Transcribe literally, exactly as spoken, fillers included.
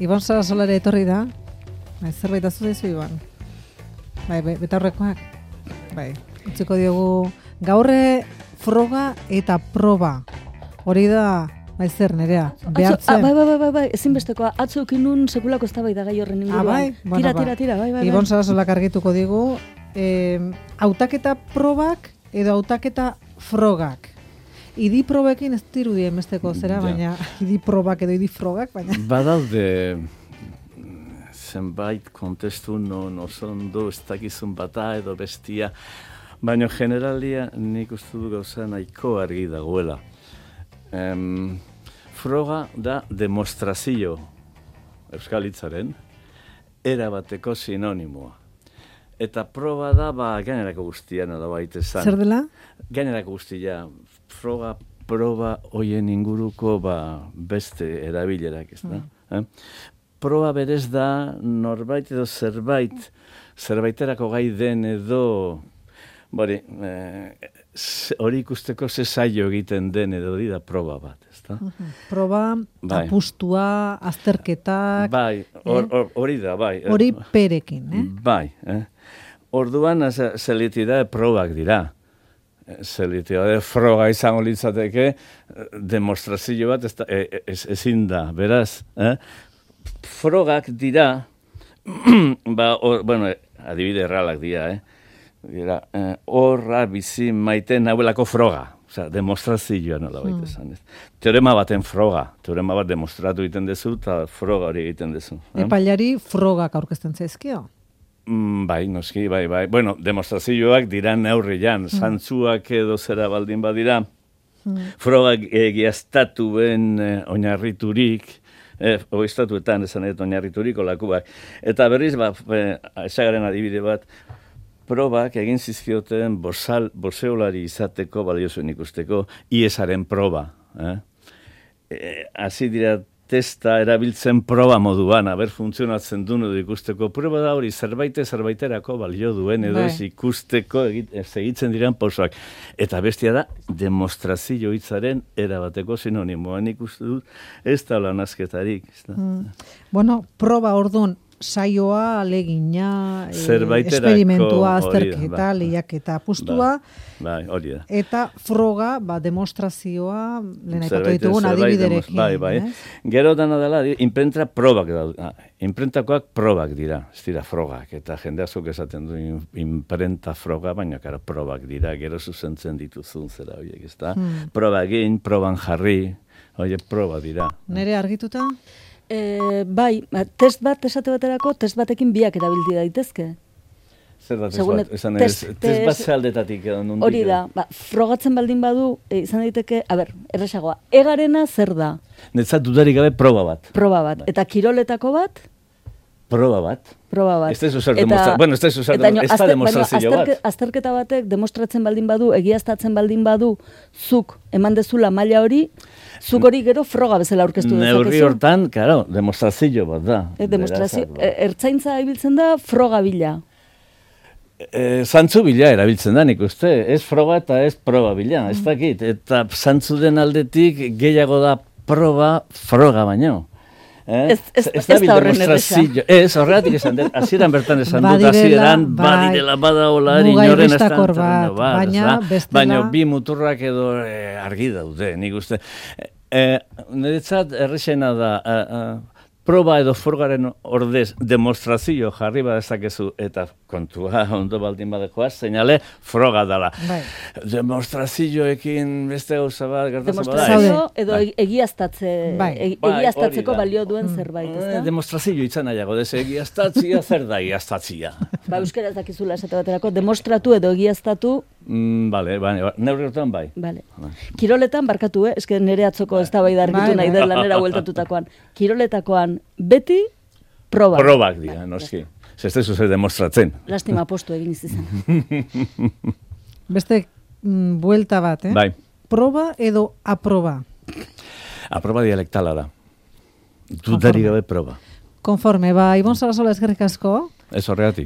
Ibon Sarasolare etorri da. Bai, zerbait azu daizu, Ibon. Bai, betaurrekoak. Bai, utziko diogu gaurre froga eta proba. Hori da, bai zer, Nerea, behartzen. Bai, bai, bai, bai, ezinbestekoa. Atzo ekinun sekulako eztabaida gai horren inguruan. Ah, bai? Bueno, tira, tira, tira, bai, bai. Ibon Sarasolak argituko digu, eh, hautaketa probak edo hautaketa frogak. Idi probekin ez dirudi emesteko zera, ja. Baina idi probak edo idi frogak, baina... Badaude zenbait kontestu non oso ondo ez dakizun bata edo bestia, baina generalia nik uste du gauza nahiko argi dagoela. Em, froga da demostrazio euskal hitzaren erabateko sinonimoa. Eta proba da, ba, gainerako guztian edo baita esan. Zer dela? Gainerako guztia, froga, proba, hoien inguruko, ba, beste erabilerak, ez da? Mm. Eh? Proba berez da, norbait edo zerbait, zerbaiterako gai den edo, bori, eh, hori ikusteko ze zailo egiten den edo hori da proba bat, ez da? Uh-huh. Proba, bai. Apustua, azterketak... Bai, hori eh? da, bai. Hori perekin, eh? Bai, eh? Orduan, zelitidade probak dira. Zelitidade froga izango litzateke, demostrazio bat ez da, ez, ezin da, beraz. Eh? Frogak dira, ba, or, bueno, adibide erralak dira, eh? Dira, eh, horra bizi maiten nauelako froga. Osea, demostrazioa nola baita esan. Mm. Teorema baten froga. Teorema bat demostratu egiten dezu, eta froga hori egiten dezu. Eh? Epailari frogak aurkezten zaizkio? Mm, bai, noski, bai, bai. Bueno, demostrazioak dira neurrian, mm. zantzuak edo zera baldin badira, mm. frogak egiaztatu ben eh, oinarriturik, eh, oiztatuetan esan edo oinarriturik olakuak. Eta berriz, ba, eh, esagaren adibide bat, probak egin zizkioten bosal, boseolari izateko, baliozuen ikusteko, iesaren proba. Eh? Eh, Hasi dira testa erabiltzen proba moduan, haber funtzionatzen duen edo ikusteko. Proba da hori zerbaite zerbaiterako balio duen edo ez ikusteko egitzen diren pausoak. Eta bestia da, demostrazio hitzaren erabateko sinonimoan ikustu dut, ez da lan asketarik. Mm. Bueno, proba orduan, saioa, alegina, esperimentua, azterketa, lehiaketa, apustua, bai, hori da. Eta froga, ba, demostrazioa, lehen aipatu ditugun adibiderekin. Bai, bai. Gero dana dela, imprenta probak da. Imprentakoak probak dira, ez dira frogak, eta jende asko esaten du imprenta froga, baina kara probak dira, gero zuzentzen dituzun zera horiek, ez da? Hmm. Proba egin, proban jarri, horiek proba dira. Nere argituta? E, bai, test bat esate baterako, test batekin biak erabildi daitezke. Zer da test bat? Esan ez, test bat zealdetatik edo nundik. Hori da, ba, frogatzen baldin badu, e, izan daiteke, a ber, erresagoa, egarena zer da? Netzat dudarik gabe proba bat. Proba bat. Eta kiroletako bat? Proba bat. Proba bat. Ez da zer demostra... Bueno, ez da zer demostrazio bat. Azterketa batek demostratzen baldin badu, egiaztatzen baldin badu, zuk eman dezula maila hori, zuk hori gero froga bezala aurkeztu dezakezu. Neurri hortan, claro, demostrazio bat da. E, demostrazio, e, ertzaintza ibiltzen da froga bila. E, zantzu bila erabiltzen da, nik uste. Ez froga eta ez proba bila, ez dakit. Eta zantzu den aldetik gehiago da proba froga baino. Eh? Ez, ez, ez, ez da horren erresa. Ez, horregatik esan dut, hasieran bertan esan dut, hasieran badirela badaola, inoren estakor bat, baina bestela... Baina bi muturrak edo eh, argi daude, nik uste. Eh, Niretzat errexena da, eh, eh, proba edo frogaren ordez demostrazio jarri badezakezu eta kontua ondo baldin badekoaz, seinale froga dela. Bai. Demostrazioekin beste gauza bat gertatzen bada. Demostrazio edo bai. egiaztatze, bai. e, egiaztatzeko bai, balio duen mm. zerbait, ez da? Demostrazio izan nahiago, dez egiaztatzia zer da egiaztatzia. Ba, euskara ez dakizula esate baterako, demostratu edo egiaztatu. Mm, bale, bale, neurri hortan bai. Bale. Kiroletan barkatu, eh? Eske nere atzoko ez da bai dargitu nahi dela nera bueltatutakoan. Kiroletakoan beti proba. Probak dira, noski. Ez da zuzer demostratzen. Lastima postu egin izan. Beste mm, buelta bat, eh? Bai. Proba edo aproba? Aproba dialektala da. Dudari gabe proba. Konforme, ba, Ibon Sarasola eskerrik asko. Ez horregatik.